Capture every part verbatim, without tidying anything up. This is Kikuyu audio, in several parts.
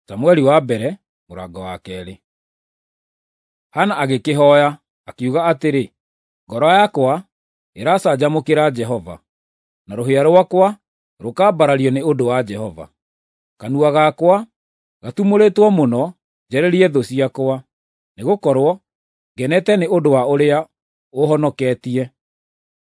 Samueli wa mbere mũrango wa keerĩ. Hana agĩkĩhooya, akiuga atĩrĩ, ngoro yakwa ĩracanjamũkĩra Jehova, na rũhĩa rwakwa rũkambarario nĩ ũndũ wa Jehova. Kanua gakwa gatumũrĩtwo mũno njarĩrie thũ ciakwa, nĩgũkorwo ngenete nĩ ũndũ wa ũrĩa ũũhonoketie.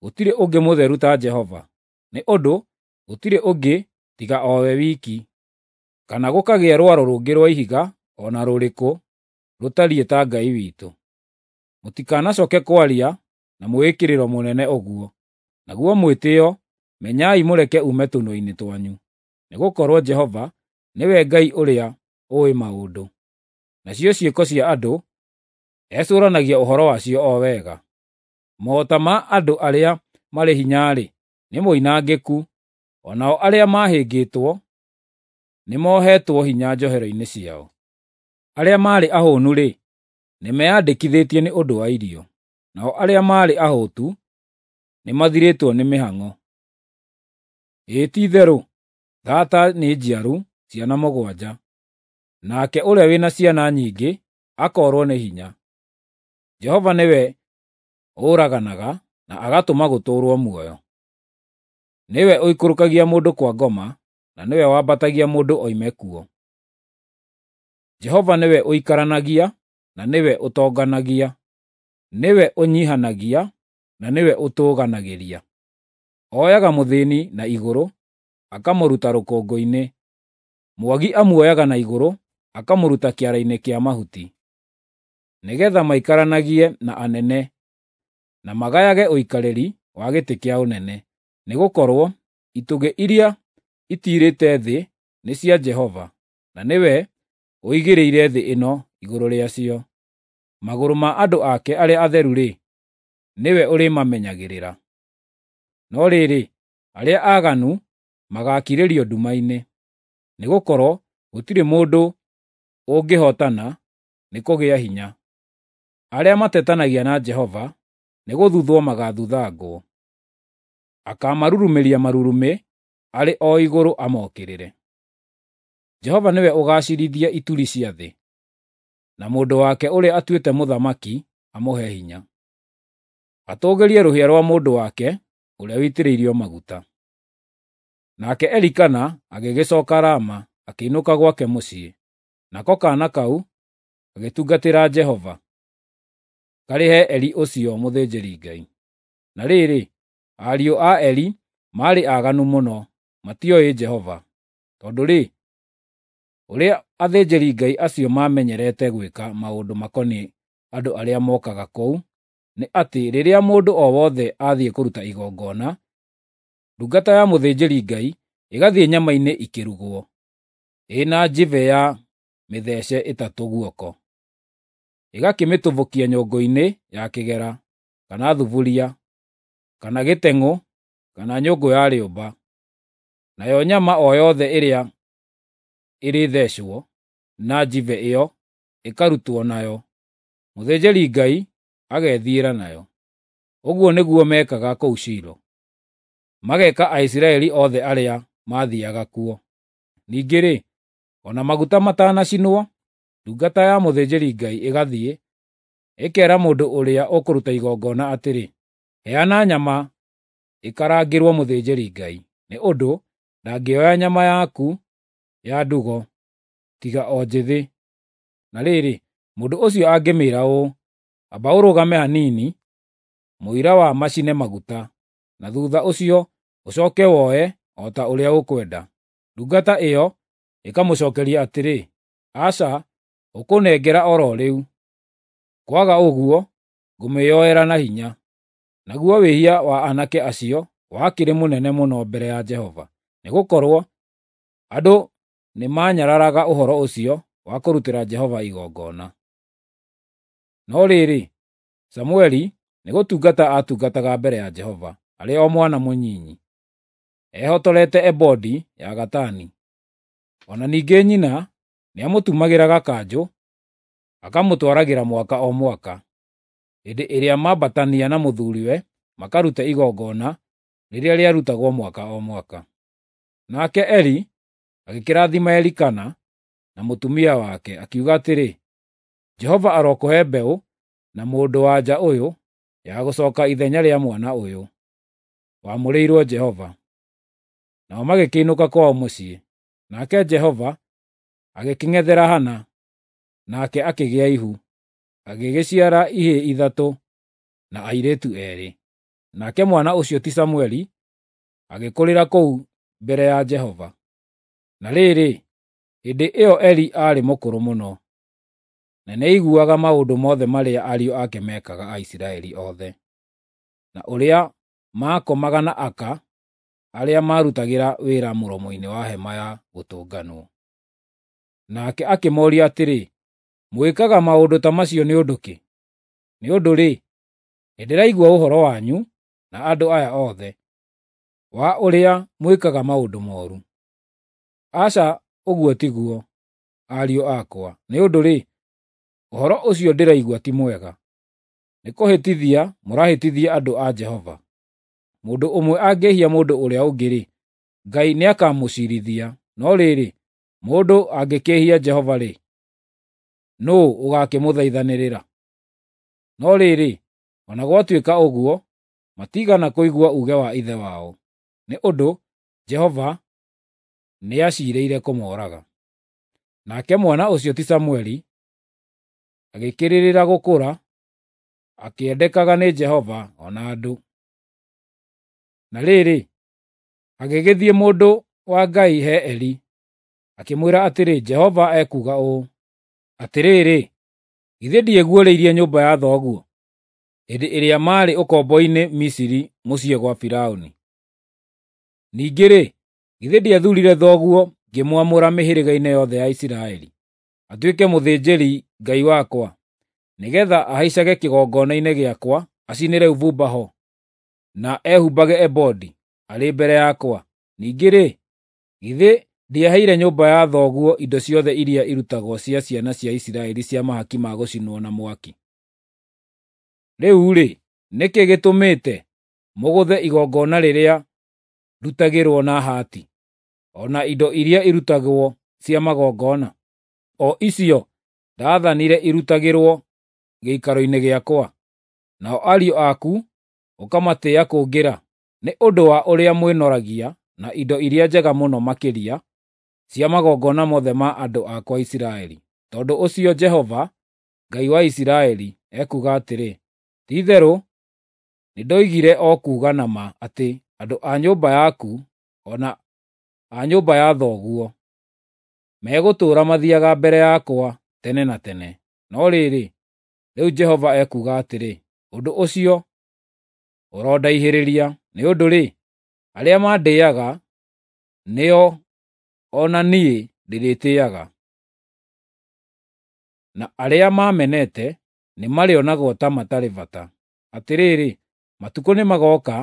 Gũtirĩ ũngĩ mũtheru ta Jehova, nĩ ũndũ gũtirĩ ũngĩ tiga o we wiki, kana gũkagĩa rwaro rũngĩ rwa ihiga o na rũrĩkũ rũtariĩ ta Ngai witũ. Mũtikanacooke kwaria na mwĩĩkĩrĩro mũnene ũguo, naguo mwĩtĩĩo menyai mũreke uume tũnua-inĩ twanyu, nĩgũkorwo Jehova nĩwe Ngai ũrĩa ũũĩ maũndũ, nacio ciĩko cia andũ ecũũranagia ũhoro wacio o wega. Mota ma andũ arĩa marĩ hinya-rĩ, nĩ moinangĩku, o nao arĩa mahĩngĩtwo nĩmohetwo hinya njohero-inĩ ciao. Arĩa maarĩ ahũnu-rĩ, nĩmeyandĩkithĩtie nĩ ũndũ wa irio, nao arĩa maarĩ ahũtu nĩmathirĩtwo nĩ mĩhang'o. Ĩĩ ti-itherũ, thaata nĩ njiaru ciana mũgwanja, nake ũrĩa wĩna ciana nyingĩ akoorwo nĩ hinya. Jehova nĩwe ũraganaga na agatũma gũtũũrwo muoyo. Nĩwe ũikũrũkagia mũndũ kwa ngoma, na nĩwe wambatagia mũndũ oime kuo. Jehova nĩwe ũikaranagia na nĩwe ũtonganagia, nĩwe ũnyiihanagia na nĩwe ũtũũganagĩria. Oyaga mũthĩĩni na igũrũ, akamũruta rũkũngũ-inĩ, mwagi amuoyaga na igũrũ, akamũruta kĩara-inĩ kĩa mahuti, nĩgeetha maikaranagie na anene na magayage ũikarĩri wa gĩtĩ kĩa ũnene. Nĩgũkorwo itugĩ iria itiirĩte thĩ nĩ cia Jehova, na nĩwe ũigĩrĩire thĩ ĩno igũrũ rĩacio. Magũrũ ma andũ ake arĩa atheru-rĩ, nĩwe ũrĩmamenyagĩrĩra. No rĩrĩ, arĩa aaganu magaakirĩrio nduma-inĩ, nĩgũkorwo gũtirĩ mũndũ ũngĩhootana nĩ kũgĩa hinya. Arĩa matetanagia na Jehova nĩgũthuthwo magaathuthangwo; akaamarurumĩria marurumĩ arĩ o igũrũ amokĩrĩre. Jehova nĩwe ũgaaciirithia ituri cia thĩ, na mũndũ wake ũrĩa atuĩte mũthamaki amũhe hinya, atũũgĩrie rũhĩa rwa mũndũ wake ũrĩa ũitĩrĩirio maguta. Nake Elikana agĩgĩcooka Rama akĩinũka gwake mũciĩ, nako kaana kau gagĩtungatĩra Jehova, karĩ he Eli ũcio mũthĩnjĩri-Ngai. Na rĩrĩ, ariũ a Eli maarĩ aaganu mũno, matioĩ Jehova. Tondũ-rĩ, ũrĩa athĩnjĩri-Ngai acio maamenyerete gwĩka maũndũ makoniĩ andũ arĩa mookaga kũu nĩ atĩ rĩrĩa mũndũ o wothe athiĩ kũruta igongona, ndungata ya mũthĩnjĩri-Ngai ĩgathiĩ nyama-inĩ ikĩrugwo, ĩna njibe ya mĩthece ĩtatũ guoko, ĩgakĩmĩtobokia nyũngũ-inĩ ya kĩgera, kana thuburia, kana gĩteng'ũ, kana nyũngũ ya rĩũmba. Nayo nyama o yothe ĩrĩa ĩrĩthecwo na njibe ĩyo ĩkarutwo nayo, mũthĩnjĩri-Ngai agethiĩra nayo. Ũguo nĩguo meekaga kũu Shilo, mageeka Aisiraeli othe arĩa maathiiaga kuo. Ningĩ-rĩ, o na maguta matanacinwo, ndungata ya mũthĩnjĩri-Ngai ĩgathiĩ, ĩkeera mũndũ ũrĩa ũkũruta igongona atĩrĩ, “Heana nyama ĩkarangĩrwo mũthĩnjĩri-Ngai, nĩ ũndũ ndangĩoya nyama yaku ya ndugo, tiga o njĩthĩ.” Na rĩrĩ, mũndũ ũcio angĩmĩĩra ũũ, “Amba ũrũgame hanini, mũira wa macine maguta, na thuutha ũcio ũcooke woe o ta ũrĩa ũkwenda,” ndungata ĩyo ĩkamũcookeria atĩrĩ, “Aca, ũkũnengera o ro rĩu, kwaga ũguo ngũmĩĩyoera na hinya.” Naguo wĩhia wa aanake acio wakĩrĩ mũnene mũno mbere ya Jehova, nĩgũkorwo andũ nĩmanyararaga ũhoro ũcio wa kũrutĩra Jehova igongona. No rĩrĩ, Samũeli nĩgũtungata aatungataga mbere ya Jehova arĩ o mwana mũnyinyi, ehotorete ebodi ya gatani. O na ningĩ nyina nĩamũtumagĩra gakanjũ, akamũtwaragĩra mwaka o mwaka, hĩndĩ ĩrĩa mambatania na mũthuuriwe makarute igongona rĩrĩa rĩarutagwo mwaka o mwaka. Nake Eli agĩkĩrathima Elikana na na mũtumia wake, akiuga atĩrĩ, "Jehova arokũhe mbeũ na mũndũ-wa-nja ũyũ ya gũcooka ithenya rĩa mwana ũyũ wamũrĩirwo Jehova." Nao magĩkĩinũka kwao mũciĩ. Nake Jehova agĩkĩng'ethera Hana, nake akĩgĩa ihu, agĩgĩciara ihĩĩ ithatũ na airĩtu eerĩ. Nake mwana ũcio ti Samũeli agĩkũrĩra kũu mbere ya Jehova. Na rĩrĩ, hĩndĩ ĩyo Eli aarĩ mũkũrũ mũno, na nĩaiguaga maũndũ mothe marĩa ariũ ake meekaga Aisiraeli othe, na ũrĩa maakomaga na aka arĩa maarutagĩra wĩra mũromo-inĩ wa Hema-ya-Gũtũnganwo. Nake akĩmooria atĩrĩ, "Mwĩkaga maũndũ ta macio nĩ ũndũ kĩ? Nĩ ũndũ-rĩ, nĩndĩraigua ũhoro wanyu na andũ aya othe, wa ũrĩa mwĩkaga maũndũ mooru. Aca, ũguo tiguo, ariũ akwa, nĩ ũndũ-rĩ, ũhoro ũcio ndĩraigua ti mwega. Nĩkũhĩtithia mũrahĩtithia andũ a Jehova. Mũndũ ũmwe angĩĩhia mũndũ ũrĩa ũngĩ-rĩ, Ngai nĩakamũciirithia, no rĩrĩ, mũndũ angĩkĩĩhia Jehova-rĩ, nũũ ũgaakĩmũthaithanĩrĩra?" No rĩrĩ, o na gwatuĩka ũguo, matiigana kũigua uuge wa ithe wao, nĩ ũndũ Jehova nĩaciirĩire kũmooraga. Nake mwana ũcio ti Samũeli agĩkĩrĩrĩra gũkũra, akĩendekaga nĩ Jehova o na andũ. Na rĩrĩ, hagĩgĩthiĩ mũndũ wa Ngai he Eli, akĩmwĩra atĩrĩ, "Jehova ekuuga ũũ, Atĩrĩrĩ, githĩ ndieguũrĩirie nyũmba ya thoguo hĩndĩ ĩrĩa maarĩ ũkombo-inĩ Misiri mũciĩ gwa Firaũni? Ningĩ-rĩ, githĩ ndiathuurire thoguo ngĩmwamũra mĩhĩrĩga-inĩ yothe ya Isiraeli, atuĩke mũthĩnjĩri-Ngai wakwa, nĩgeetha ahaicage kĩgongona-inĩ gĩakwa, acinĩre ũbumba ho, na ehumbage ebodi arĩ mbere yakwa? Ningĩ-rĩ, githĩ ndiaheire nyũmba ya thoguo indo ciothe iria irutagwo cia ciana cia Isiraeli cia mahaki ma gũcinwo na mwaki? Rĩu-rĩ, nĩ kĩĩ gĩtũmĩte mũgũthe igongona rĩrĩa ndutagĩrwo na hati, o na indo iria irutagwo cia magongona, o icio ndaathanire irutagĩrwo gĩikaro-inĩ gĩakwa? Nao ariũ aku ũkamatĩĩa kũngĩra, nĩ ũndũ wa ũrĩa mwĩnoragia na indo iria njega mũno makĩria cia magongona mothe ma andũ akwa Isiraeli. Tondũ ũcio Jehova, Ngai wa Isiraeli, ekuuga atĩrĩ, Ti-itherũ nĩndoigire o kuuga na ma atĩ andũ a nyũmba yaku o na a nyũmba ya thoguo megũtũũra mathiiaga mbere yakwa tene na tene. No rĩrĩ, rĩu Jehova ekuuga atĩrĩ, ũndũ ũcio ũrondaihĩrĩria, nĩ ũndũ-rĩ, arĩa mandĩaga nĩo o na niĩ ndĩrĩtĩĩaga, na arĩa maamenete nĩmarĩonagwo ta matarĩ bata. Atĩrĩrĩ, matukũ nĩmagooka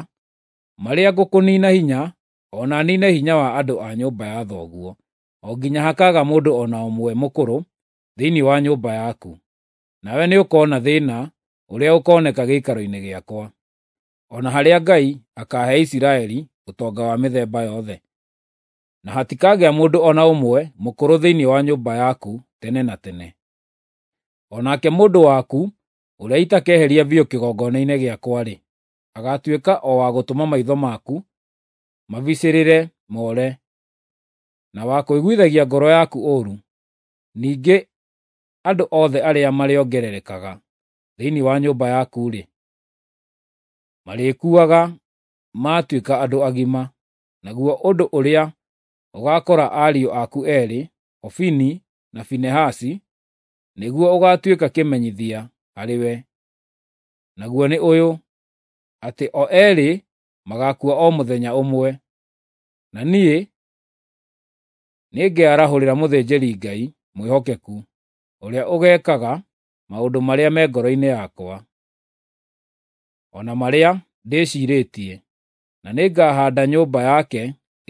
marĩa ngũkũniina hinya, o na niine hinya wa andũ a nyũmba ya thoguo, o nginya hakaaga mũndũ o na ũmwe mũkũrũ thĩinĩ wa nyũmba yaku. Nawe nĩũkona thĩĩna ũrĩa ũkooneka gĩikaro-inĩ gĩakwa, o na harĩa Ngai akaahe Isiraeli ũtonga wa mĩthemba yothe. Na hatikagĩa mũndũ o na ũmwe mũkũrũ thĩinĩ wa nyũmba yaku tene na tene. O nake mũndũ waku ũrĩa itakeheria biũ kĩgongona-inĩ gĩakwa-rĩ, agaatuĩka o wa gũtũma maitho maku mabicĩrĩre more, na wa kũiguithagia ngoro yaku ũũru. Ningĩ andũ othe arĩa marĩongererekaga thĩinĩ wa nyũmba yaku-rĩ, marĩkuaga maatuĩka andũ agima. Naguo ũndũ ũrĩa ũgaakora ariũ aku eerĩ, Hofini na Finehasi, nĩguo ũgaatuĩka kĩmenyithia harĩwe, naguo nĩ ũyũ, atĩ o eerĩ magaakua o mũthenya ũmwe. Na niĩ nĩngearahũrĩra mũthĩnjĩri-Ngai mwĩhokeku, ũrĩa ũgeekaga maũndũ marĩa me ngoro-inĩ yakwa, o na marĩa ndĩciirĩtie, na nĩngahaanda nyũmba yake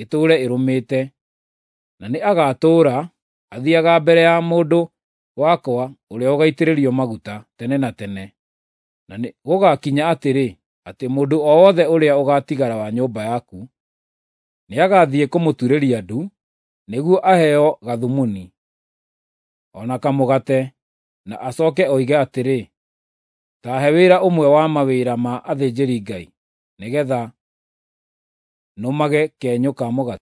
ĩtũũre ĩrũmĩte, na nĩagatũũra athiiaga mbere ya mũndũ wakwa ũrĩa ũgaitĩrĩrio maguta tene na tene. Na gũgakinya atĩrĩ, atĩ mũndũ o wothe ũrĩa ũgaatigara wa nyũmba yaku nĩagathiĩ kũmũturĩria ndu nĩguo aheo gathumuni. o na kamũgate, na acooke oige atĩrĩ, “Ta he wĩra ũmwe wa mawĩra ma athĩnjĩri-Ngai, nĩgeetha nũmage kenyũ ka mũgate?”